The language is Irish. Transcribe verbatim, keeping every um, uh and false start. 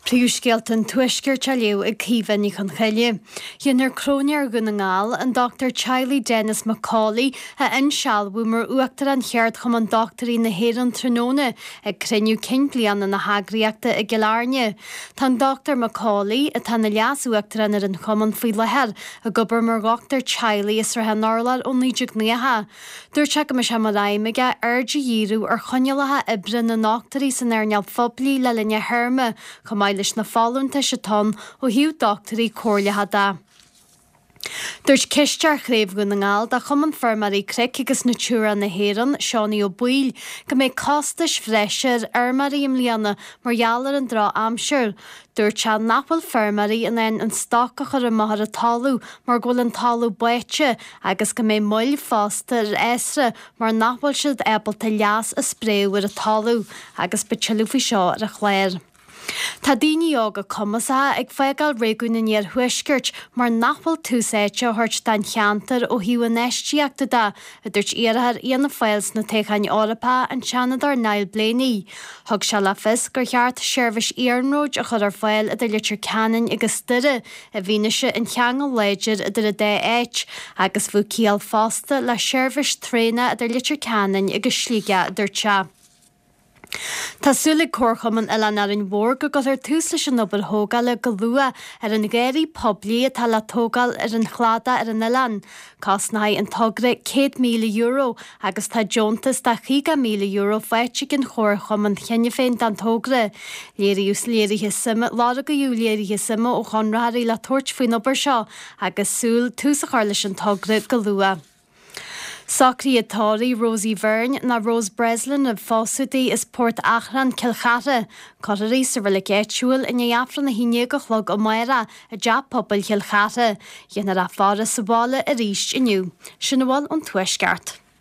Príomhscéalta an Tuaiscirt á léamh ag Caoimhe Ní Chonchoille. Déanfar Cróinéir Dhún na nGall, an Dochtúir Teaghlaigh Denis McCauley, a insealbhú mar Uachtarán Cheardchumann Dochtúirí na hÉireann tráthnóna ag cruinniú cinn bliana na heagraíochta i gCill Airne. Tá an Dochtúir McCauley, atá ina Leas-Uachtarán ar an chumann faoi láthair, ag obair mar dhochtúir teaghlaigh i Srath an Urláir ó naoi déag nócha. Dúirt sé go mbeidh sé mar aidhm aige aird a dhíriú ar choinníollacha oibre na ndochtúirí san earnáil phoiblí le linn a théarma, chomh maith leis na folúntais atá ann ó thaobh dochtúirí comhairleacha de. Dúirt Cisteoir Chraobh Dhún na nGall de Chumann Feirmeoirí Cnoic agus Natura na hÉireann, Seánie Ó Baoill, go mbeidh costais bhreise ar fheirmeoirí i mbliana mar gheall ar an drochaimsir. Dúirt sé nach bhfuil feirmeoirí in ann an stoc a chur amach ar an talamh mar go bhfuil an talamh báite agus go mbeidh moill fosta ar fhásra mar nach bhfuil siad ábalta leas a spréadh ar an talamh agus beidh tuilleadh faoi seo ar an chlár. Tá daoine óga cumasacha ag fágáil réigiún an Iarthuaiscirt mar nach bhfuil tús áite á thabhairt don cheantar ó thaobh infheistíochta de, a dúirt iarrthóir Fhianna Fáil sna toghcháin Eorpacha, an Seanadóir Niall Blaney. Thug sé le fios gur cheart seirbhís iarnróid a chur ar fáil idir Leitir Ceanainn agus Doire i bhfianaise an cheangail láidir idir an dá áit, agus bheadh ciall fosta le seirbhís traenach idir Leitir Ceanainn agus Sligeach, a dúirt sé. Tá súil ag Comharchumann Oileán Árainn Mhór go gcuirfear tús leis an obair thógála go luath ar an gharraí poiblí atá le tógáil ar an chladach ar an oileán. Cosnóidh an togra céad míle euro agus tá deontas de chaoga míle euro faighte ag an Chomharchumann cheana féin don togra. Léiríodh léirithe suime, lorgaíodh léirithe suime ó chonraitheoirí le tabhairt faoin obair seo agus súil tús a chur leis an togra go luath. Socruithe tórraimh Rosie Byrne ná Rose Breslin roimh phósadh di as Port Achrann, Cill Chartha. Cuirfear í sa reilig áitiúil i ndiaidh Aifreann a haon déag a chlog amárach i dTeach Pobail Chill Chartha. Déanfar a faire sa bhaile arís inniu. Sin a bhfuil ón Tuaisceart.